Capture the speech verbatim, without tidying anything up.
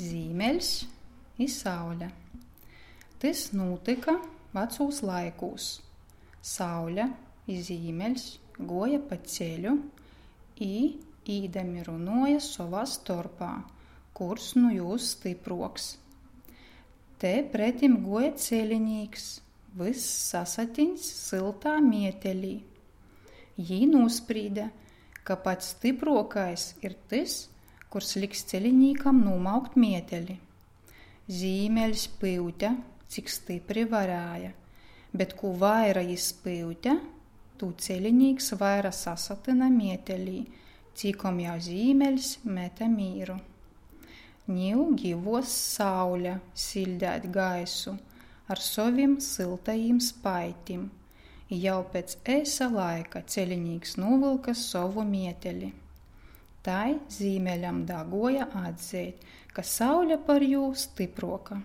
Zīmeļs i Saule. Tys nūtyka vacūs laikūs. Saule i Zīmeļs guoja pa ceļu i īdami runuoja sovā storpā, kurs nu jūs stypruoks. Te pretim guoja celinīks, vyss sasatiņs syltā mietelī. Jī nūsprīde, ka pats stypruokais ir tys, kurs liks celinīkam nūmaukt mieteli. Zīmeļs pyute, cik stypri varēja, bet kū vaira jis pyute, tū celinīks vaira sasatyna mietelī, cikom jau Zīmeļs mete mīru. Niu givuos Saule siļdeit gaisu ar sovim syltajim spaitim, i jau piec eisa laika celinīks nūvylka sovu mieteli. Tai Zīmeļam daguoja atzeit, ka Saule par jū stypruoka.